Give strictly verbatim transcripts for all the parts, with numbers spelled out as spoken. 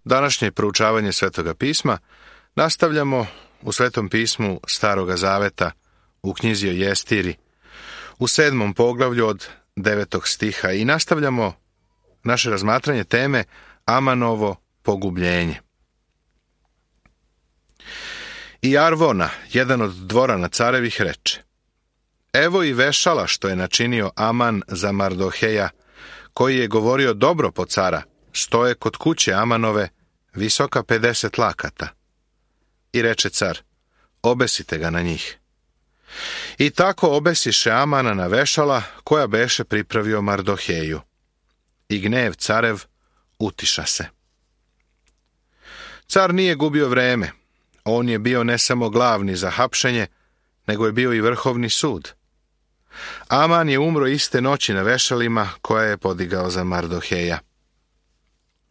Današnje proučavanje Svetoga pisma nastavljamo u Svetom pismu Staroga zaveta u knjizi o Jestiri u sedmom poglavlju od devetog stiha i nastavljamo naše razmatranje teme Amanovo pogubljenje. I Arvona, jedan od dvorana carevih, reče: Evo i vešala što je načinio Aman za Mardoheja, koji je govorio dobro po cara, stoje kod kuće Amanove, visoka pedeset lakata. I reče car: Obesite ga na njih. I tako obesiše Amana na vešala koja beše pripravio Mardoheju. I gnjev carev utiša se. Car nije gubio vreme. On je bio ne samo glavni za hapšenje, nego je bio i vrhovni sud. Aman je umro iste noći na vešalima koja je podigao za Mardoheja.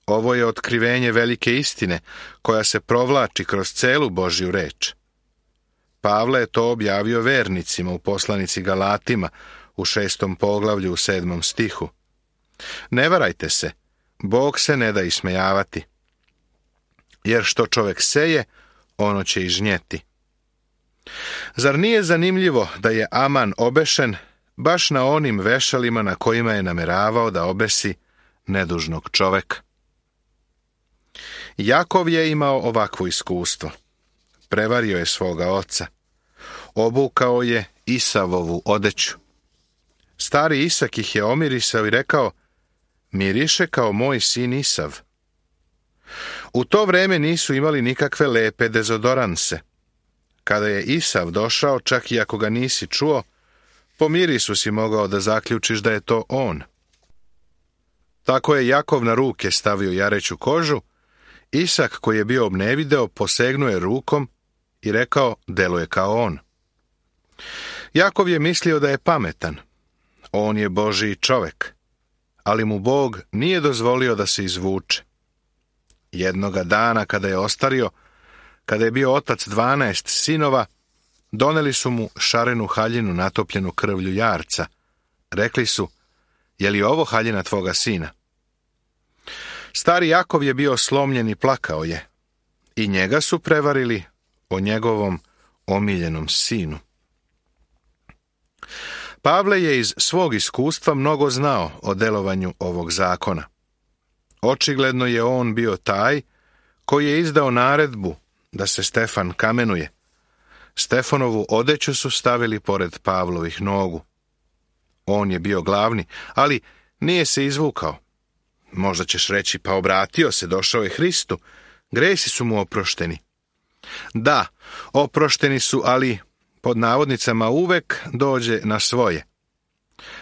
Ovo je otkrivenje velike istine koja se provlači kroz celu Božju reč. Pavle je to objavio vernicima u poslanici Galatima u šestom poglavlju u sedmom stihu. Ne varajte se, Bog se ne da ismejavati. Jer što čovjek seje, ono će i žnjeti. Zar nije zanimljivo da je Aman obešen baš na onim vešalima na kojima je nameravao da obesi nedužnog čoveka? Jakov je imao ovakvo iskustvo. Prevario je svoga oca. Obukao je Isavovu odeću. Stari Isak ih je omirisao i rekao: Miriše kao moj sin Isav. U to vreme nisu imali nikakve lepe dezodoranse. Kada je Isav došao, čak i ako ga nisi čuo, po mirisu si mogao da zaključiš da je to on. Tako je Jakov na ruke stavio jareću kožu. Isak, koji je bio obnevideo, posegnuo je rukom i rekao: deluje kao on. Jakov je mislio da je pametan. On je Božji čovek, ali mu Bog nije dozvolio da se izvuče. Jednoga dana, kada je ostario, kada je bio otac dvanaest sinova, doneli su mu šarenu haljinu natopljenu krvlju jarca. Rekli su: je li ovo haljina tvoga sina? Stari Jakov je bio slomljen i plakao je. I njega su prevarili o njegovom omiljenom sinu. Pavle je iz svog iskustva mnogo znao o delovanju ovog zakona. Očigledno je on bio taj koji je izdao naredbu da se Stefan kamenuje. Stefanovu odeću su stavili pored Pavlovih nogu. On je bio glavni, ali nije se izvukao. Možda ćeš reći: pa obratio se, došao je Hristu, gresi su mu oprošteni. Da, oprošteni su, ali pod navodnicama uvek dođe na svoje.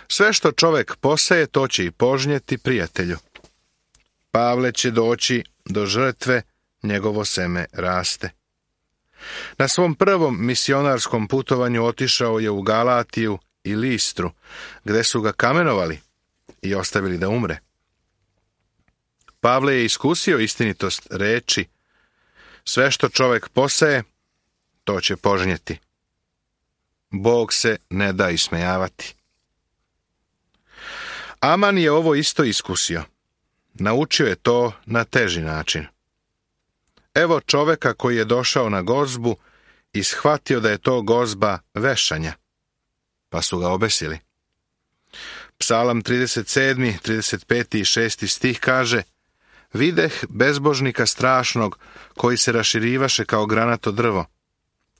Sve što čovek poseje, to će i požnjeti, prijatelju. Pavle će doći do žrtve, njegovo seme raste. Na svom prvom misionarskom putovanju otišao je u Galatiju i Listru, gde su ga kamenovali i ostavili da umre. Pavle je iskusio istinitost reči: sve što čovek poseje, to će požnjeti. Bog se ne da ismejavati. Aman je ovo isto iskusio. Naučio je to na teži način. Evo čoveka koji je došao na gozbu i shvatio da je to gozba vešanja, pa su ga obesili. Psalam trideset sedmi, trideset peti i šesti stih kaže: videh bezbožnika strašnog koji se raširivaše kao granato drvo,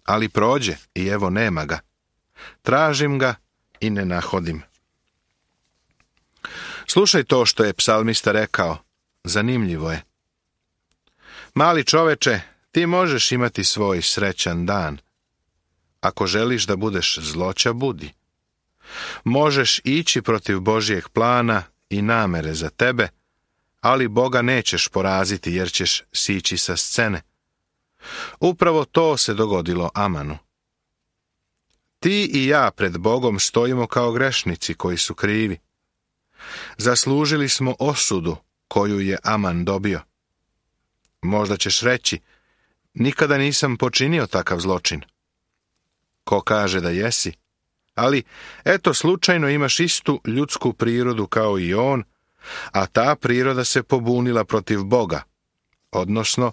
ali prođe i evo nema ga. Tražim ga i ne nahodim. Slušaj to što je psalmista rekao, zanimljivo je. Mali čoveče, ti možeš imati svoj srećan dan. Ako želiš da budeš zloća, budi. Možeš ići protiv Božjeg plana i namere za tebe, ali Boga nećeš poraziti jer ćeš sići sa scene. Upravo to se dogodilo Amanu. Ti i ja pred Bogom stojimo kao grešnici koji su krivi. Zaslužili smo osudu koju je Aman dobio. Možda ćeš reći: nikada nisam počinio takav zločin. Ko kaže da jesi? Ali, eto, slučajno imaš istu ljudsku prirodu kao i on, a ta priroda se pobunila protiv Boga. odnosno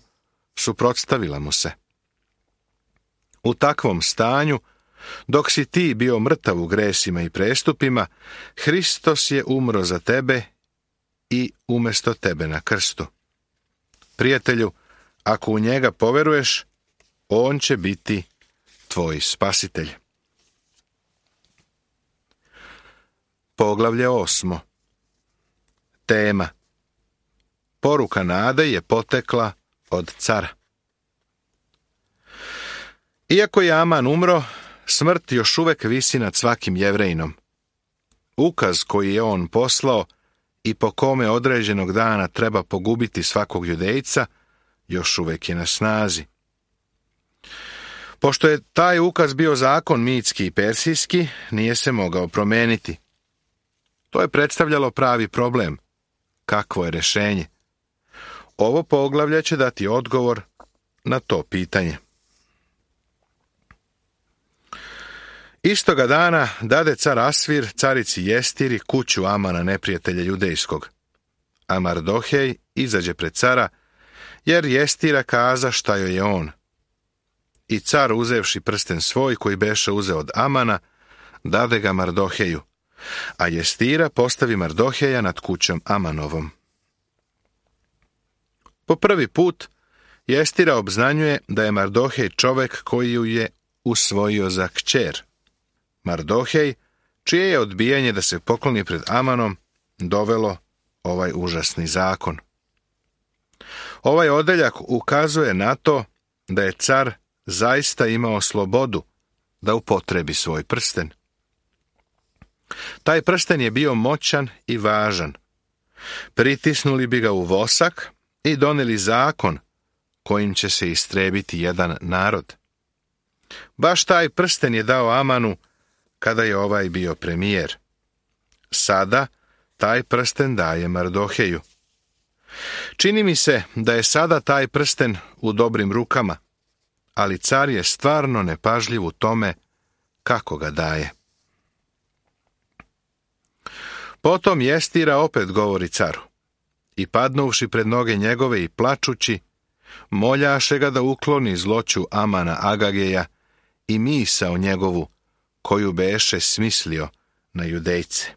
suprotstavila mu se. U takvom stanju, dok si ti bio mrtav u gresima i prestupima, Hristos je umro za tebe i umjesto tebe na krstu. Prijatelju, ako u njega poveruješ, on će biti tvoj spasitelj. Poglavlje osmo. Tema. Poruka nade je potekla od cara. Iako je Aman umro, smrt još uvek visi nad svakim Jevrejinom. Ukaz koji je on poslao i po kome određenog dana treba pogubiti svakog Judejca, još uvek je na snazi. Pošto je taj ukaz bio zakon mitski i persijski, nije se mogao promeniti. To je predstavljalo pravi problem. Kakvo je rešenje? Ovo poglavlje će dati odgovor na to pitanje. Istoga dana dade car Asvir carici Jestiri kuću Amana, neprijatelja judejskog. A Mardohej izađe pred cara, jer Jestira kaza šta joj je on. I car, uzevši prsten svoj koji beše uzeo od Amana, dade ga Mardoheju, a Jestira postavi Mardoheja nad kućom Amanovom. Po prvi put Jestira obznanjuje da je Mardohej čovek koji ju je usvojio za kćer. Mardohej, čije je odbijanje da se pokloni pred Amanom dovelo ovaj užasni zakon. Ovaj odeljak ukazuje na to da je car zaista imao slobodu da upotrebi svoj prsten. Taj prsten je bio moćan i važan. Pritisnuli bi ga u vosak i doneli zakon kojim će se istrebiti jedan narod. Baš taj prsten je dao Amanu kada je ovaj bio premijer. Sada taj prsten daje Mardoheju. Čini mi se da je sada taj prsten u dobrim rukama, ali car je stvarno nepažljiv u tome kako ga daje. Potom Jestira opet govori caru, i padnuvši pred noge njegove i plačući, moljaše ga da ukloni zloću Amana Agageja i misao njegovu, koju beše smislio na Judejce.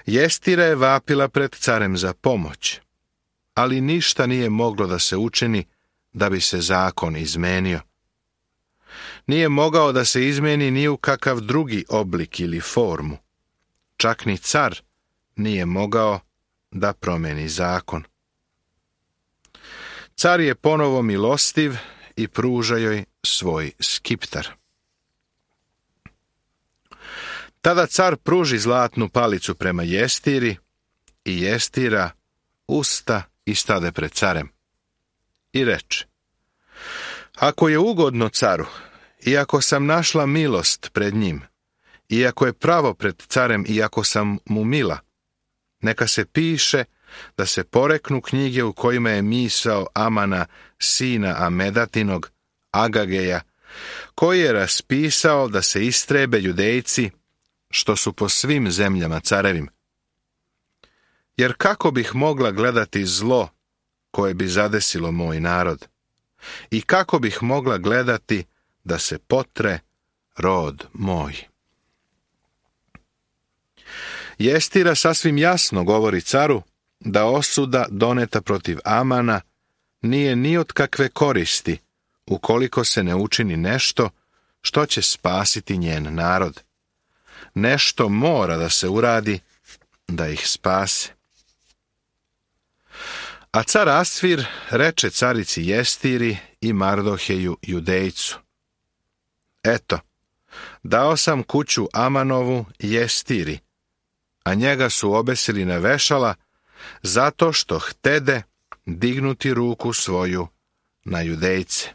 Jestira je vapila pred carem za pomoć, ali ništa nije moglo da se učini da bi se zakon izmenio. Nije mogao da se izmeni ni u kakav drugi oblik ili formu. Čak ni car nije mogao da promeni zakon. Car je ponovo milostiv i pruža joj svoj skiptar. Tada car pruži zlatnu palicu prema Jestiri i Jestira usta i stade pred carem. I reče, ako je ugodno caru, i ako sam našla milost pred njim, i ako je pravo pred carem, i ako sam mu mila, neka se piše da se poreknu knjige u kojima je misao Amana, sina Amedatinog, Agageja, koji je raspisao da se istrebe Judejci, što su po svim zemljama carevim. Jer kako bih mogla gledati zlo koje bi zadesilo moj narod? I kako bih mogla gledati da se potre rod moj? Jestira sasvim jasno govori caru da osuda doneta protiv Amana nije ni od kakve koristi ukoliko se ne učini nešto što će spasiti njen narod. Nešto mora da se uradi da ih spase. A car Asvir reče carici Jestiri i Mardoheju Judejcu, eto, dao sam kuću Amanovu Jestiri, a njega su obesili na vešala zato što htede dignuti ruku svoju na Judejce.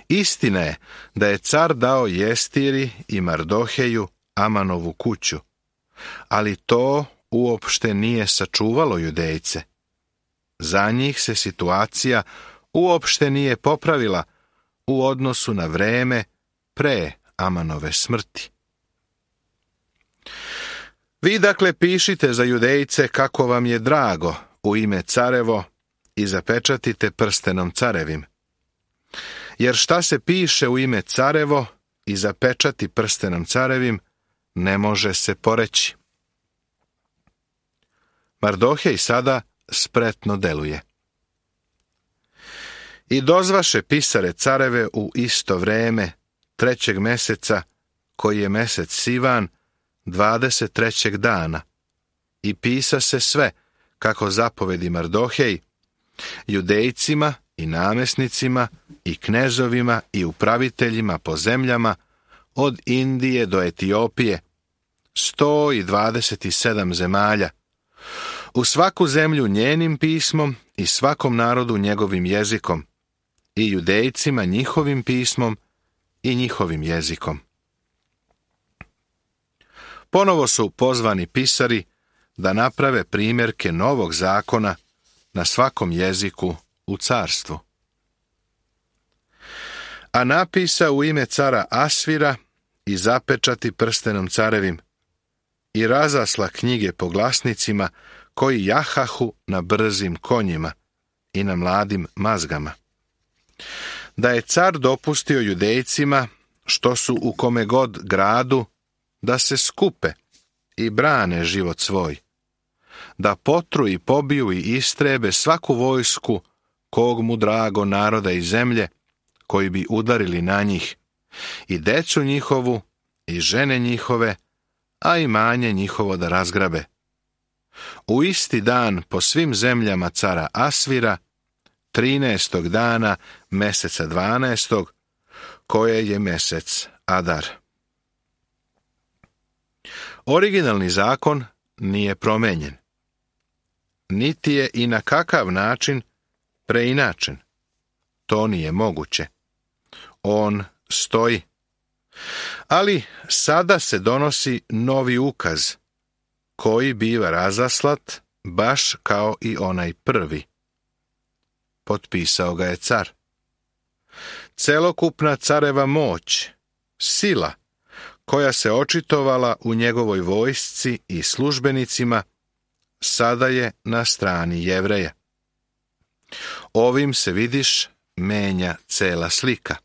Istina je da je car dao Jestiri i Mardoheju Amanovu kuću, ali to uopšte nije sačuvalo Judejce. Za njih se situacija uopšte nije popravila u odnosu na vreme pre Amanove smrti. Vi dakle pišite za Judejce kako vam je drago u ime carevo i zapečatite prstenom carevim. Jer šta se piše u ime carevo i zapečati prstenom carevim, ne može se poreći. Mardohej sada spretno deluje. I dozvaše pisare careve u isto vreme, trećeg meseca, koji je mesec Sivan, dvadeset trećeg dana, i pisa se sve, kako zapovedi Mardohej, Judejcima i namesnicima i knezovima i upraviteljima po zemljama, od Indije do Etiopije, sto i dvadeset sedam zemalja, u svaku zemlju njenim pismom i svakom narodu njegovim jezikom, i Judejcima njihovim pismom i njihovim jezikom. Ponovo su pozvani pisari da naprave primjerke novog zakona na svakom jeziku u carstvu. A napisa u ime cara Asvira i zapečati prstenom carevim i razasla knjige po glasnicima koji jahahu na brzim konjima i na mladim mazgama. Da je car dopustio Judejcima, što su u kome god gradu, da se skupe i brane život svoj, da potru i pobiju i istrebe svaku vojsku kog mu drago naroda i zemlje, koji bi udarili na njih, i decu njihovu, i žene njihove, a i manje njihovo da razgrabe. U isti dan po svim zemljama cara Asvira, trinaestog dana meseca dvanaestog, koje je mesec Adar. Originalni zakon nije promenjen, niti je i na kakav način preinačen. To nije moguće. On stoji. Ali sada se donosi novi ukaz, koji biva razaslat baš kao i onaj prvi. Potpisao ga je car. Celokupna careva moć, sila, koja se očitovala u njegovoj vojsci i službenicima, sada je na strani Jevreja. Ovim se, vidiš, menja cela slika.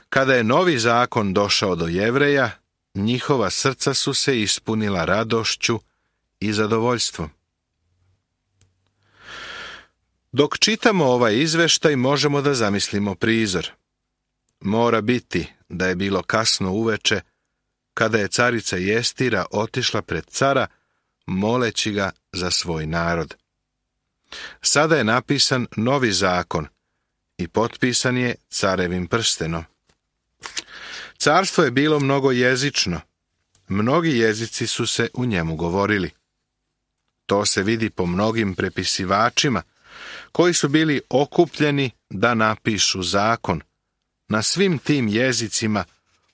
Kada je novi zakon došao do Jevreja, njihova srca su se ispunila radošću i zadovoljstvom. Dok čitamo ovaj izveštaj, možemo da zamislimo prizor. Mora biti da je bilo kasno uveče, kada je carica Jestira otišla pred cara, moleći ga za svoj narod. Sada je napisan novi zakon i potpisan je carevim prstenom. Carstvo je bilo mnogojezično. Mnogi jezici su se u njemu govorili. To se vidi po mnogim prepisivačima, koji su bili okupljeni da napišu zakon na svim tim jezicima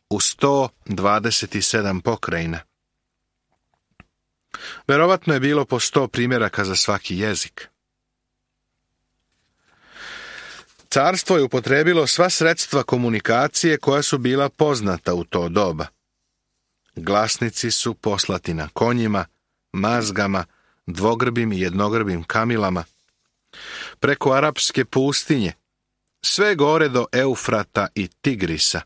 u sto dvadeset sedam pokrajina. Verovatno je bilo po sto primjeraka za svaki jezik. Carstvo je upotrebilo sva sredstva komunikacije koja su bila poznata u to doba. Glasnici su poslati na konjima, mazgama, dvogrbim i jednogrbim kamilama, preko arapske pustinje, sve gore do Eufrata i Tigrisa,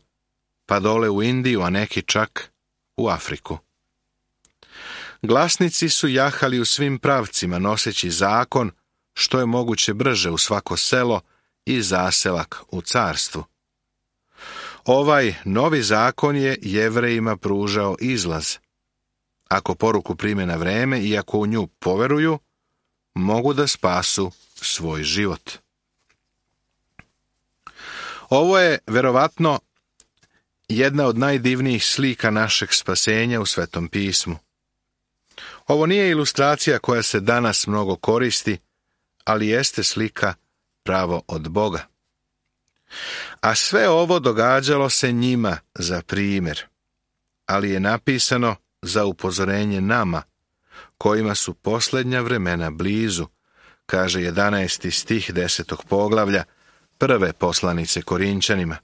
pa dole u Indiju, a neki čak u Afriku. Glasnici su jahali u svim pravcima, noseći zakon što je moguće brže u svako selo i zaselak u carstvu. Ovaj novi zakon je Jevrejima pružao izlaz. Ako poruku prime na vreme i ako u nju poveruju, mogu da spasu svoj život. Ovo je verovatno jedna od najdivnijih slika našeg spasenja u Svetom pismu. Ovo nije ilustracija koja se danas mnogo koristi, ali jeste slika pravo od Boga. A sve ovo događalo se njima za primjer, ali je napisano za upozorenje nama, kojima su posljednja vremena blizu, kaže jedanaesti stih desetog poglavlja prve poslanice Korinčanima.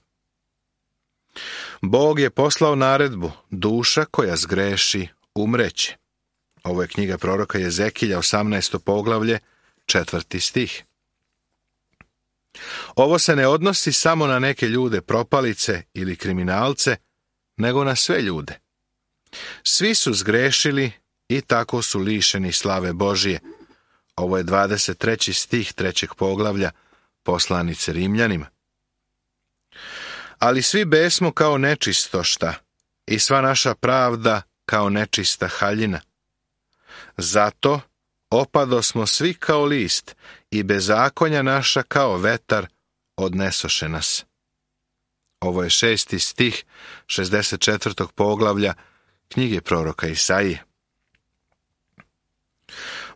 Bog je poslao naredbu, duša koja zgreši umreće. Ovo je knjiga proroka Jezekilja, osamnaesto poglavlje, četvrti stih. Ovo se ne odnosi samo na neke ljude propalice ili kriminalce, nego na sve ljude. Svi su zgrešili i tako su lišeni slave Božije. Ovo je dvadeset treći stih trećeg poglavlja poslanice Rimljanima. Ali svi besmo kao nečistošta i sva naša pravda kao nečista haljina. Zato opadosmo svi kao list i bezakonja naša kao vetar odnesoše nas. Ovo je šesti stih šezdeset četvrtog poglavlja knjige proroka Isaije.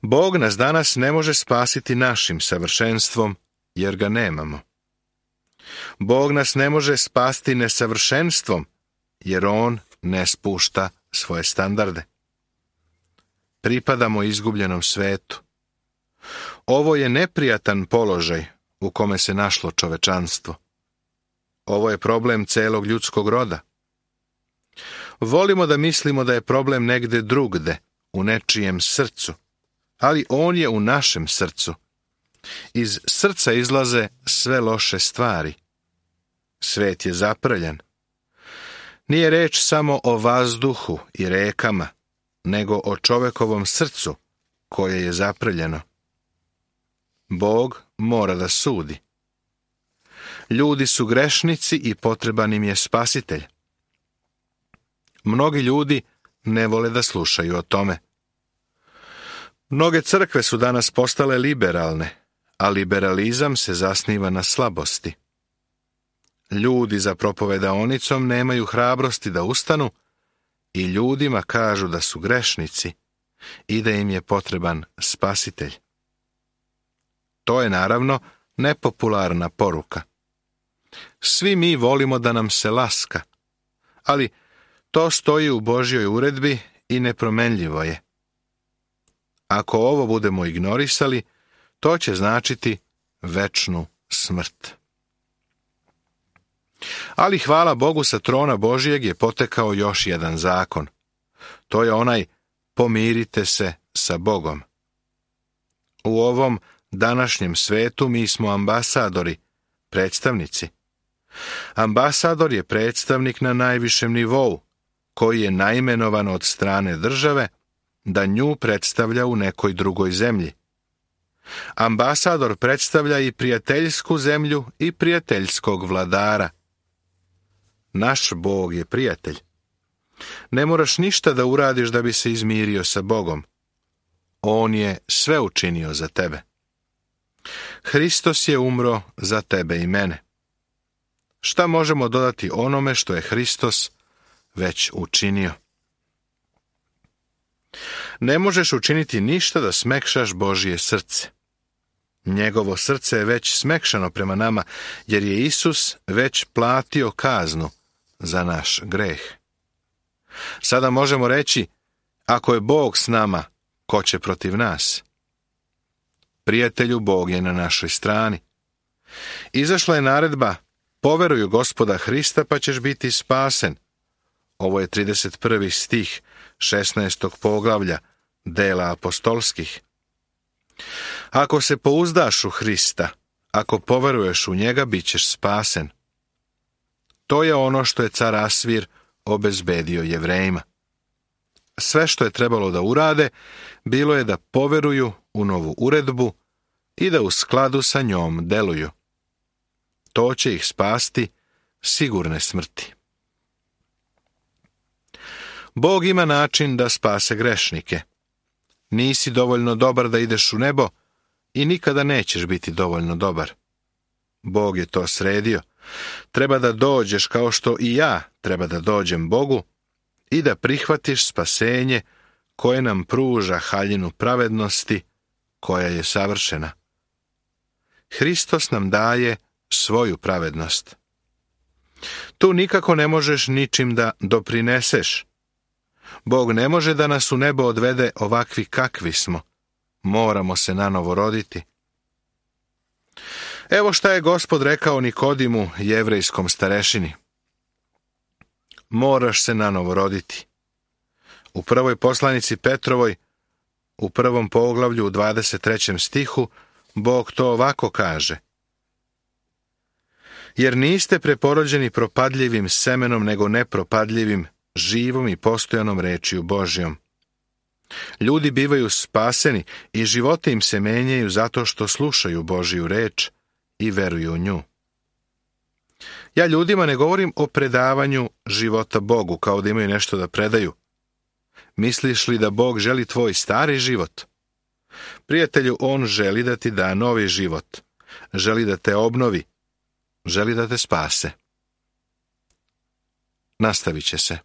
Bog nas danas ne može spasiti našim savršenstvom, jer ga nemamo. Bog nas ne može spasti nesavršenstvom, jer on ne spušta svoje standarde. Pripadamo izgubljenom svetu. Ovo je neprijatan položaj u kome se našlo čovečanstvo. Ovo je problem celog ljudskog roda. Volimo da mislimo da je problem negde drugde, u nečijem srcu, ali on je u našem srcu. Iz srca izlaze sve loše stvari. Svet je zaprljan. Nije reč samo o vazduhu i rekama, nego o čovekovom srcu koje je zaprljano. Bog mora da sudi. Ljudi su grešnici i potreban im je spasitelj. Mnogi ljudi ne vole da slušaju o tome. Mnoge crkve su danas postale liberalne, a liberalizam se zasniva na slabosti. Ljudi za propovedaonicom nemaju hrabrosti da ustanu i ljudima kažu da su grešnici i da im je potreban spasitelj. To je naravno nepopularna poruka. Svi mi volimo da nam se laska, ali to stoji u Božjoj uredbi i nepromenljivo je. Ako ovo budemo ignorisali, to će značiti večnu smrt. Ali hvala Bogu, sa trona Božjeg je potekao još jedan zakon. To je onaj pomirite se sa Bogom. U ovom današnjem svetu mi smo ambasadori, predstavnici. Ambasador je predstavnik na najvišem nivou, koji je naimenovan od strane države da nju predstavlja u nekoj drugoj zemlji. Ambasador predstavlja i prijateljsku zemlju i prijateljskog vladara. Naš Bog je prijatelj. Ne moraš ništa da uradiš da bi se izmirio sa Bogom. On je sve učinio za tebe. Hristos je umro za tebe i mene. Šta možemo dodati onome što je Hristos već učinio? Ne možeš učiniti ništa da smekšaš Božje srce. Njegovo srce je već smekšano prema nama, jer je Isus već platio kaznu za naš greh. Sada možemo reći, ako je Bog s nama, ko će protiv nas? Prijatelju, Bog je na našoj strani. Izašla je naredba, poveruj u Gospoda Hrista pa ćeš biti spasen. Ovo je trideset prvi stih šesnaestog poglavlja dela apostolskih. Ako se pouzdaš u Hrista, ako poveruješ u njega, bit ćeš spasen. To je ono što je car Asvir obezbedio Jevrejima. Sve što je trebalo da urade, bilo je da poveruju u novu uredbu i da u skladu sa njom deluju. To će ih spasti sigurne smrti. Bog ima način da spase grešnike. Nisi dovoljno dobar da ideš u nebo i nikada nećeš biti dovoljno dobar. Bog je to sredio. Treba da dođeš kao što i ja treba da dođem Bogu i da prihvatiš spasenje koje nam pruža haljinu pravednosti koja je savršena. Hristos nam daje svoju pravednost. Tu nikako ne možeš ničim da doprineseš. Bog ne može da nas u nebo odvede ovakvi kakvi smo. Moramo se nanovo roditi. Evo šta je Gospod rekao Nikodimu, jevrejskom starešini. Moraš se nanovo roditi. U prvoj poslanici Petrovoj, u prvom poglavlju u dvadeset trećem stihu, Bog to ovako kaže: jer niste preporođeni propadljivim semenom, nego nepropadljivim, živom i postojanom rečju Božjom. Ljudi bivaju spaseni i životi im se menjaju zato što slušaju Božju reč i veruju u nju. Ja ljudima ne govorim o predavanju života Bogu, kao da imaju nešto da predaju. Misliš li da Bog želi tvoj stari život? Prijatelju, On želi da ti da novi život. Želi da te obnovi. Želi da te spase. Nastavit će se.